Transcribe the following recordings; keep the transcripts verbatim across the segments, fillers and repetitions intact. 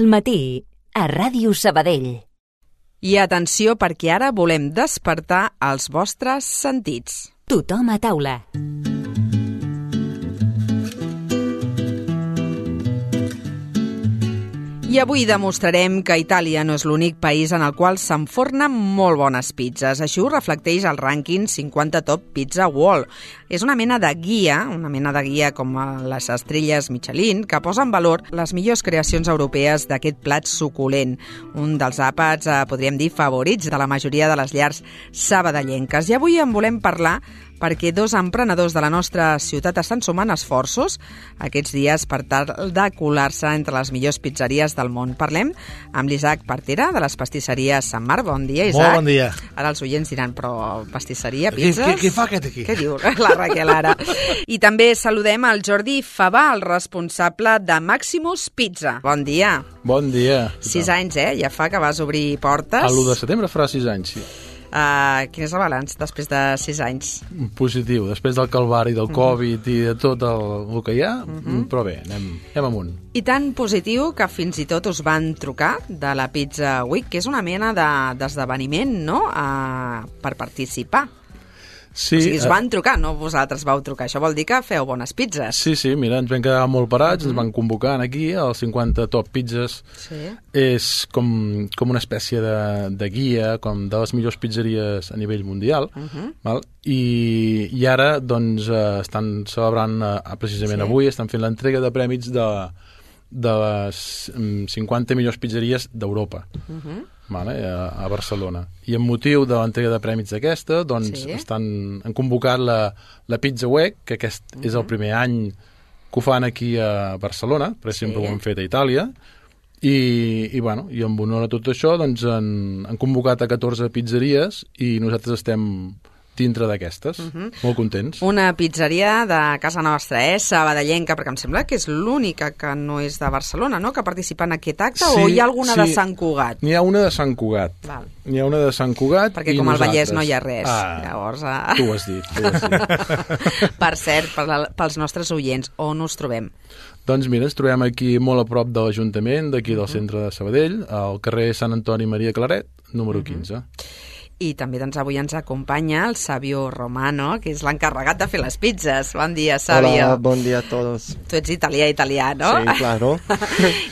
Al matí, a Ràdio Sabadell. I atenció, perquè ara volem despertar els vostres sentits. Tothom a taula. I avui demostrarem que Itàlia no és l'únic país en el qual s'enfornen molt bones pizzas. Això ho reflecteix el rànquing cinquanta Top Pizza World. És una mena de guia, una mena de guia com les estrelles Michelin, que posa en valor les millors creacions europees d'aquest plat suculent. Un dels àpats, eh, podríem dir, favorits de la majoria de les llars sabadellenques. I avui en volem parlar perquè dos emprenedors de la nostra ciutat estan sumant esforços aquests dies per tal de colar-se entre les millors pizzeries del món. Parlem amb l'Isaac Partera, de les pastisseries Sant Marc. Bon dia, Isaac. Molt bon dia. Ara els oients diran, però pastisseria, pizzas... Què, què, què fa aquest aquí? Què diu la Raquel ara? I també saludem el Jordi Favà, el responsable de Maximus Pizza. Bon dia. Bon dia. Sis anys, eh? Ja fa que vas obrir portes. A l'u de setembre farà sis anys, sí. Uh, quin és el balanç després de sis anys? Positiu, després del calvari, del Covid i de tot el, el que hi ha, uh-huh. Però bé, anem, anem amunt. I tan positiu que fins i tot us van trucar de la Pizza Week, que és una mena d'esdeveniment, de, no?, uh, per participar. Sí, o sigui, us van trucar, no vosaltres vau trucar. Això vol dir que feu bones pizzas. Sí, sí, mira, ens vam quedar molt parats, uh-huh. Ens van convocar aquí, als cinquanta Top Pizzas. Sí. És com, com una espècie de, de guia, com de les millors pizzeries a nivell mundial, uh-huh. Val? I, i ara, doncs, eh, estan celebrant, eh, precisament sí. Avui, estan fent l'entrega de prèmits de, de les cinquanta millors pizzeries d'Europa. Uh-huh. Vale, a, a Barcelona. I amb motiu de l'entrega de prèmits d'aquesta, doncs sí. estan, han convocat la, la Pizza Week, que aquest uh-huh. és el primer any que ho fan aquí a Barcelona, perquè sí. Sempre ho han fet a Itàlia, i, i, bueno, i en honor a tot això doncs han, han convocat a catorze pizzeries i nosaltres estem dintre d'aquestes, uh-huh. Molt contents. Una pizzeria de casa nostra, eh? Sabadellenca, perquè em sembla que és l'única que no és de Barcelona, no?, que participa en aquest acte, sí, o hi ha alguna sí. de Sant Cugat? N'hi ha una de Sant Cugat. Val. N'hi ha una de Sant Cugat perquè i com nosaltres. Al Vallès no hi ha res. Ah, Llavors, ah... tu ho has dit. Tu ho has dit. Per cert, per la, pels nostres oients, on us trobem? Doncs mira, ens trobem aquí molt a prop de l'Ajuntament, d'aquí del uh-huh. centre de Sabadell, al carrer Sant Antoni Maria Claret, número uh-huh. quinze. I també doncs, avui ens acompanya el Savio Romano, que és l'encarregat de fer les pizzas. Bon dia, Savio. Hola, bon dia a tots. Tu ets italià, italià, no? Sí, claro.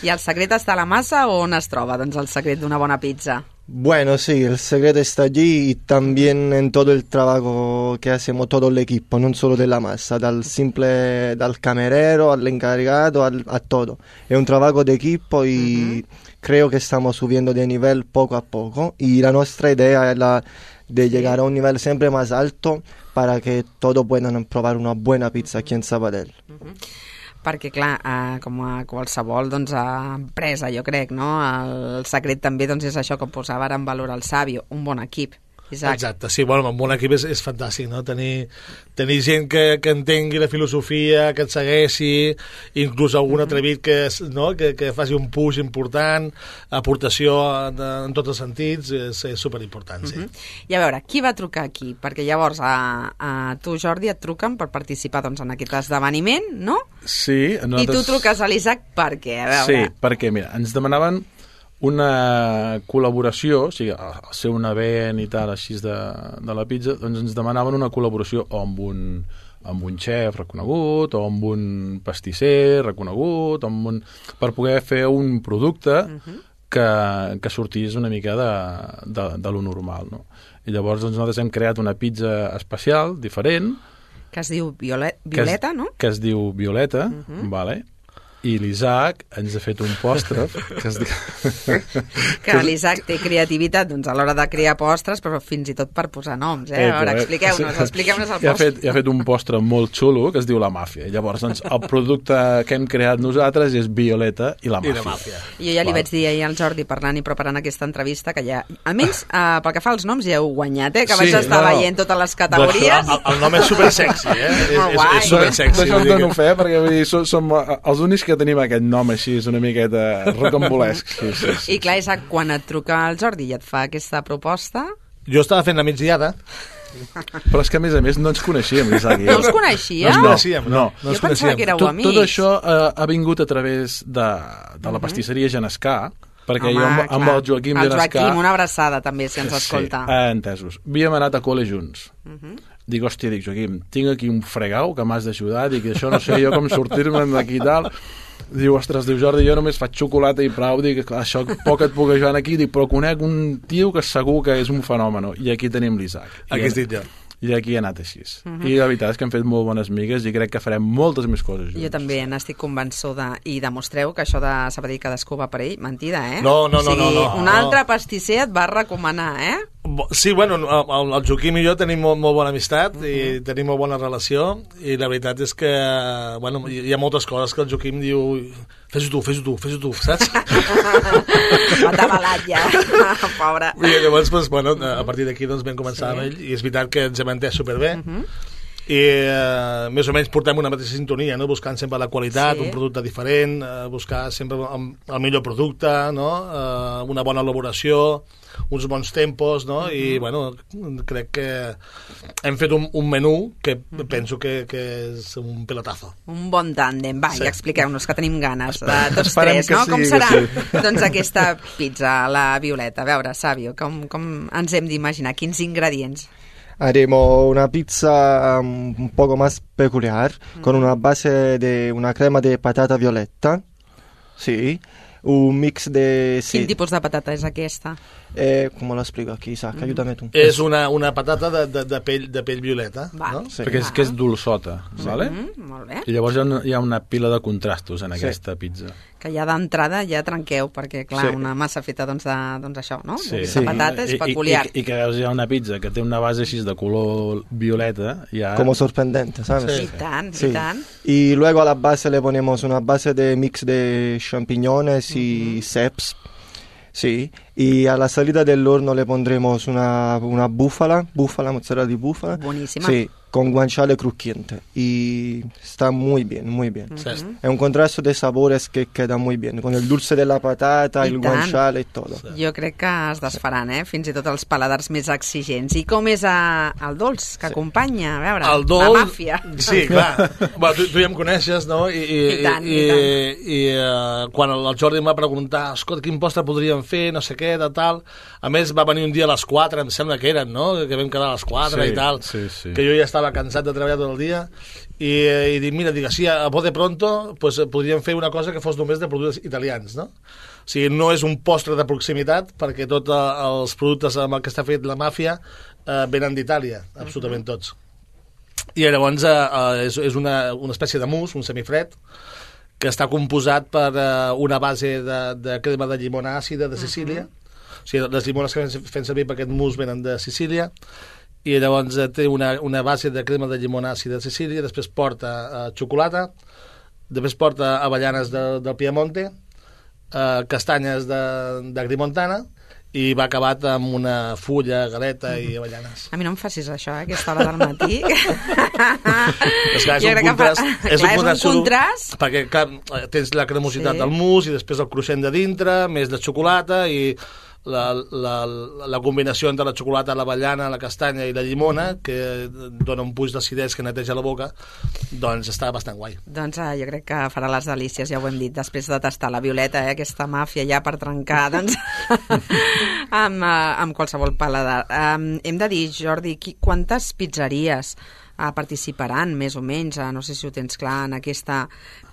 I el secret està a la massa o on es troba, doncs, el secret d'una bona pizza? Bueno, sí, el secreto está allí y también en todo el trabajo que hacemos todo el equipo, no solo de la masa, dal simple, dal camerero al encargado, al, a todo. Es un trabajo de equipo y uh-huh. creo que estamos subiendo de nivel poco a poco y la nuestra idea es la de llegar a un nivel siempre más alto para que todos puedan probar una buena pizza aquí en Sabadell. Uh-huh. Perquè, clar, eh, com a qualsevol doncs, empresa, jo crec, no? El secret també doncs, és això que posava ara en valor el Savio, un bon equip. Isaac. Exacte, sí, bueno, amb un equip és, és fantàstic, no? Tenir, tenir gent que, que entengui la filosofia, que et segueixi, inclús algun atrevit que, no? que, que faci un push important, aportació de, en tots els sentits, és, és superimportant, sí. Uh-huh. I a veure, qui va trucar aquí? Perquè llavors a, a tu, Jordi, et truquen per participar doncs, en aquest esdeveniment, no? Sí. Nosaltres... I tu truques a l'Isaac per què? A veure. Sí, perquè, mira, ens demanaven una col·laboració, o sigui, al ser un event i tal, així de, de la pizza, doncs ens demanaven una col·laboració o amb un, amb un xef reconegut, o amb un pastisser reconegut, o amb un, per poder fer un producte uh-huh. que, que sortís una mica de, de, de lo normal, no? I llavors doncs, nosaltres hem creat una pizza especial, diferent, que es diu Violet, Violeta, que es, no? Que es diu Violeta, uh-huh. vale? I l'Isaac ens ha fet un postre que es diu... que l'Isaac té creativitat doncs, a l'hora de crear postres, però fins i tot per posar noms, eh? A veure, expliqueu-nos, expliqueu-nos el postre. I ha fet, ha fet un postre molt xulo que es diu La Màfia. I llavors, doncs, el producte que hem creat nosaltres és Violeta i La Màfia. I la màfia. I jo ja li Val. vaig dir ahir al Jordi, parlant i preparant aquesta entrevista, que ja, almenys, uh, pel que fa als noms, ja heu guanyat, eh? Que sí, vaig estar no, veient totes les categories. El, el nom és supersexy, eh? És, és, és supersexy. D'això us dono fe, perquè vull dir, som, som els únics que tenim aquest nom així, és una miqueta rocambolesc. Sí, sí, sí. I clar, Isaac, quan et truca el Jordi i et fa aquesta proposta... Jo estava fent la migdiada Però és que, a més a més, no ens coneixíem, l'Isaac i jo. No us coneixíeu? No ens coneixíem, no. No. no ens Jo pensava que éreu Tot, amics. tot això eh, ha vingut a través de, de la pastisseria Genescà, perquè Home, jo amb, amb clar. el Joaquim el Genescà... Joaquim, una abraçada també, si ens escolta. Sí, eh, entesos. Havíem anat a col·le junts. Uh -huh. Dic, hòstia, dic, Joaquim, tinc aquí un fregau que m'has d'ajudar, dic, això no sé jo com sortir-me'n d'aquí i tal. Diu, ostres, diu, Jordi, jo només faig xocolata i prou, dic, clar, això poc et puc ajudar aquí, dic, però conec un tio que segur que és un fenòmeno, i aquí tenim l'Isaac. Aquí estic jo. I aquí ha anat així. Uh -huh. I la veritat és que hem fet molt bones migues i crec que farem moltes més coses junts. Jo també n'estic convençuda. I demostreu que això de Sabadell cadascú va per ell, mentida, eh? No, no, o sigui, no, no, no. un altre pastisser et va recomanar, eh? Sí, bueno, el, el Joaquim i jo tenim molt, molt bona amistat uh -huh. i tenim molt bona relació, i la veritat és que, bueno, hi ha moltes coses que el Joaquim diu, fes-ho tu, fes-ho tu, fes-ho tu, saps? Va atabalat ja, pobre. I llavors, doncs, bueno, a partir d'aquí doncs, vam començar sí. amb ell, i és veritat que ens hem entès superbé, uh -huh. i eh, més o menys portem una mateixa sintonia, no? Buscant sempre la qualitat, sí. un producte diferent, eh, buscar sempre el, el millor producte, no? eh, una bona elaboració, uns bons tempos, no? Uh-huh. I bueno, crec que hem fet un, un menú que uh-huh. penso que, que és un pelotazo. Un bon tàndem. Va, sí. I expliqueu-nos, que tenim ganes, de tots Esperem tres, no? sí, Com serà sí. doncs, aquesta pizza, la Violeta? A veure, Sàvio, com, com ens hem d'imaginar? Quins ingredients? Haremos una pizza um, un poco más peculiar, mm. con una base de una crema de patata violeta, sí, un mix de... Quin tipus de patata és aquesta? Eh, ¿Cómo lo explico aquí, Isaac? Mm. Ayúdame tú. És una, una patata de, de, de, pell, de pell violeta, Va. no? Sí. Perquè és, que és dolçota, sí. Vale? Mm, molt bé. I llavors hi ha, una, hi ha una pila de contrastos en sí. aquesta pizza. Que ja d'entrada ja trenqueu, perquè, clar, Sí. una massa feta doncs, de, doncs això, no? Sí. De Sí. patata és I, peculiar. I, i, I que veus ja una pizza que té una base així de color violeta, ja... Como sorprendente, ¿sabes? Sí. I tant, Sí. i tant. Y luego a la base le ponemos una base de mix de champiñones y Mm-hmm. ceps. Sí, y a la salida del horno le pondremos una, una búfala, búfala, mozzarella di búfala. Buenísima. Sí, con guanciale crujiente. Y está muy bien, muy bien. Sí. Es un contraste de sabores que queda muy bien, con el dulce de la patata, I el tant. guanciale y todo. Jo crec que es desfaran, eh? Fins i tot els paladars més exigents. I com és a, el dolç que acompanya? A veure, El dolç... la màfia. Sí, clar. Bueno, tu, tu ja em coneixes, no? I, i, I tant, i, i tant. i, i uh, quan el Jordi em va preguntar, escolta, quin postre podríem fer, no sé què, de tal... A més, va venir un dia a les quatre, em sembla que eren, no? Que vam quedar a les quatre Sí, i tal. sí, sí. Que jo ja estava cansat de treballar tot el dia. I, i dic, mira, dic, així, a Bote Pronto, pues, podríem fer una cosa que fos només de productes italians, no? O sigui, no és un postre de proximitat, perquè tots els productes amb el que està fet la màfia eh, venen d'Itàlia, absolutament tots. I llavors eh, és, és una, una espècie de mousse, un semifred, que està composat per eh, una base de, de crema de llimona àcida de Sicília. Uh-huh. O sigui, les llimones que fem servir per aquest mousse venen de Sicília, i llavors eh, té una, una base de crema de llimona àcida de Sicília, després porta eh, xocolata, després porta avellanes de, del Piemonte, eh, castanyes de, de Grimontana, i va acabat amb una fulla, galeta i avellanes. A mi no em facis això, eh, a aquesta hora del matí. És, clar, és, Jo un crec que contrast, fa- és, clar, un és un contrast, contrast. perquè clar, tens la cremositat Sí. del mousse i després el cruixent de dintre, més de xocolata, i la, la, la combinació entre la xocolata, l'avellana, la castanya i la llimona, que dona un puix d'acidesa que neteja la boca, doncs està bastant guai. Doncs eh, jo crec que farà les delícies, ja ho hem dit, després de tastar la Violeta, eh, aquesta màfia ja per trencar, doncs, amb, eh, amb qualsevol paladar. Um, hem de dir, Jordi, qui, quantes pizzeries eh, participaran, més o menys, eh, no sé si ho tens clar, en aquesta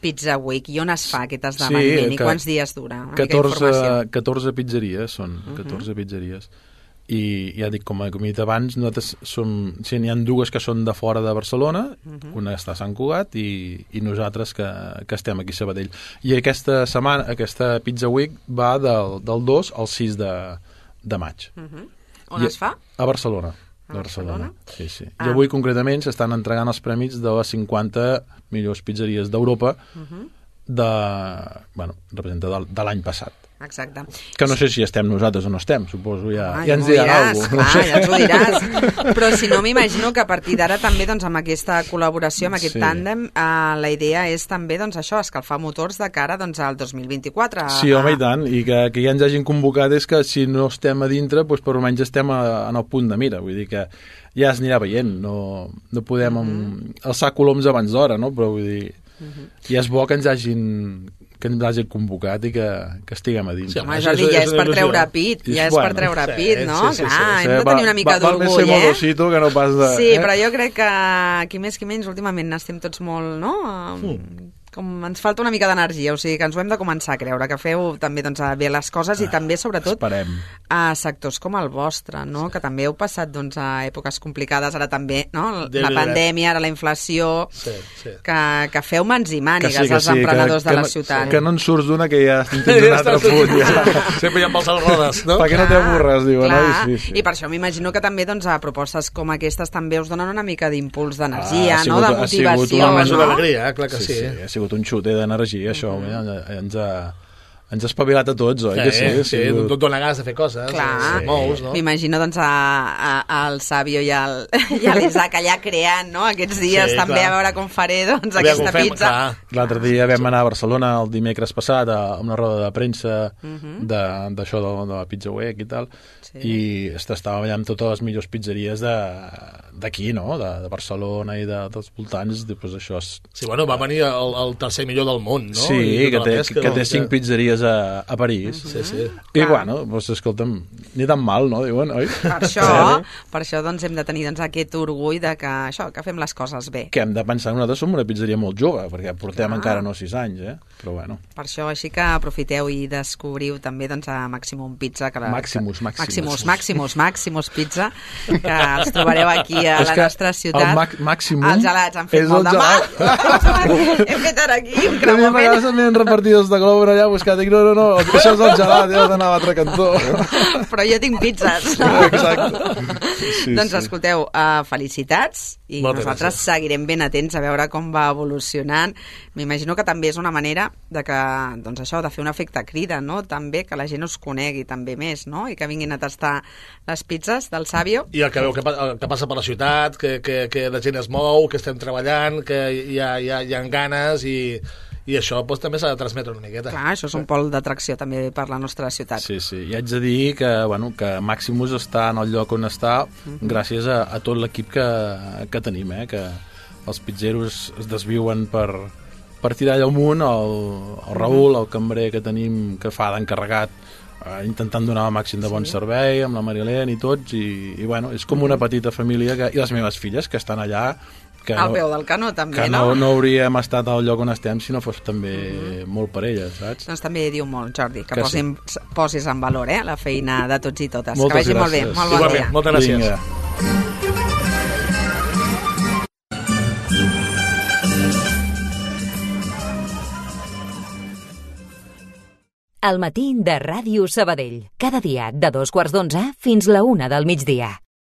Pizza Week, i on es fa aquest esdeveniment, Sí, i que- quants dies dura? Una mica catorze, d'informació. catorze pizzeries són, catorze pizzeries. I ja dic, com he dit abans, nosaltres som, sí, n'hi ha dues que són de fora de Barcelona, una està a Sant Cugat i, i nosaltres que, que estem aquí a Sabadell. I aquesta setmana, aquesta Pizza Week va del, del dos al sis de, de maig. Mhm. On I, es fa? A Barcelona. A A Barcelona. Barcelona? Sí, sí. Ah. I avui concretament s'estan entregant els prèmits de les cinquanta millors pizzeries d'Europa de, bueno, representa de, de l'any passat. Exacte. Que no sé si estem nosaltres o no estem, suposo, ja, ah, ja ens diran alguna cosa. Clar, ja ens ho diràs. Però si no, m'imagino que a partir d'ara també doncs, amb aquesta col·laboració, amb aquest sí. tàndem, eh, la idea és també doncs, això, escalfar motors de cara doncs, al dos mil vint-i-quatre. Sí, home, i tant, i que, que ja ens hagin convocat és que si no estem a dintre, doncs per almenys estem a, en el punt de mira, vull dir que ja es anirà veient, no, no podem mm-hmm. alçar coloms abans d'hora, no? Però vull dir, mm-hmm. ja és bo que ens hagin que ens hagin convocat i que, que estiguem a dins. Sí, home, Jordi, ja és per treure pit, ja és per treure pit, no? Clar, hem de tenir una mica d'orgull, eh? Val més ser modosito que no pas de... Sí, però jo crec que qui més qui menys últimament estem tots molt, no? Com ens falta una mica d'energia, o sigui que ens ho hem de començar a creure, que feu també doncs, bé les coses i també, sobretot, Esperem. a sectors com el vostre, no? Que també heu passat doncs, a èpoques complicades, ara també, no? La pandèmia, ara la inflació, sí, sí. Que, que feu mans i mànigues sí, els sí, emprenedors que, de la que, ciutat. Que no en surts d'una que ja tens un altre punt. Ja. Sempre hi ha pels rodes, no? Perquè no t'avorres, diuen. Clar, no? Sí, sí. I per això m'imagino que també doncs, a propostes com aquestes també us donen una mica d'impuls d'energia, ah, no? De motivació. Ha sigut no? d'alegria, clar que sí. Sí, sí, ha sigut un xuter d'energia. Això, mm-hmm. ens ha ens ha espavilat a tots, oi? Sí, que sí, sí, sí, tot dona gas de fer coses. Clar, sí. Mous, no? M'imagino doncs a, a, al Sàvio i, al, i a l'Isaac allà creant, no? Aquests dies sí, també clar. A veure com faré doncs, aquesta fem, pizza. L'altre dia vam anar a Barcelona el dimecres passat a una roda de premsa uh-huh. d'això de, de la Pizza Week i tal, sí. I estàvem allà amb totes les millors pizzeries d'aquí, no? De, de Barcelona i de, dels voltants, doncs això és... Sí, bueno, va venir el, el tercer millor del món, no? Sí, que té, pesca, que té cinc pizzeries a, a París. Sí, sí. I bueno, doncs, escolta'm, ni tan mal, no? Diuen, oi? Per això, per això doncs, hem de tenir doncs, aquest orgull de que, això, que fem les coses bé. Que hem de pensar que nosaltres som una pizzeria molt jove, perquè portem ah. encara no sis anys, eh? Però bueno. Per això, així que aprofiteu i descobriu també doncs, a Maximum Pizza. Que la, Maximus, que, Maximus. Maximus, Maximus, Maximus Pizza, que els trobareu aquí a la nostra ciutat. El ma- Maximum els gelats han fet molt de mal. Hem fet ara aquí un creuament. A vegades m'han repartit els de Globo allà buscat. Dic, no, no, no, això és el gelat, ja has d'anar a l'altre cantó. Però jo tinc pizzas. Exacte. Sí, doncs sí. escolteu, uh, felicitats i Moltes nosaltres gràcies. Seguirem ben atents a veure com va evolucionant. M'imagino que també és una manera de que, doncs això, de fer un efecte crida, no? També que la gent us conegui també més, no? I que vinguin a tastar les pizzas del Sàvio. I el que veu que, que passa per la ciutat, que, que, que la gent es mou, que estem treballant, que hi ha, hi ha, hi ha ganes i... I això doncs, també s'ha de transmetre una miqueta. Clar, això és un pol d'atracció també per la nostra ciutat. Sí, sí. I haig de dir que, bueno, que Maximus està en el lloc on està uh-huh. gràcies a, a tot l'equip que, que tenim, eh? Que els pizzeros es desviuen per, per tirar allà amunt, el, el Raül, el cambrer que tenim, que fa d'encarregat, eh, intentant donar el màxim de bon sí. servei, amb la Marilén i tots, i, i bueno, és com una petita família, que, i les meves filles, que estan allà, que al no, peu del canó també, que no? no? No hauríem estat al lloc on estem si no fos també mm-hmm. molt per elles, saps? Doncs també diu molt, Jordi, que, que posin, sí. posis en valor eh, la feina de tots i totes. Moltes que vagi gràcies. molt bé, molt bon Igualment, dia. moltes gràcies. Vinga. El matí de Ràdio Sabadell. Cada dia de dos quarts d'onze fins la una del migdia.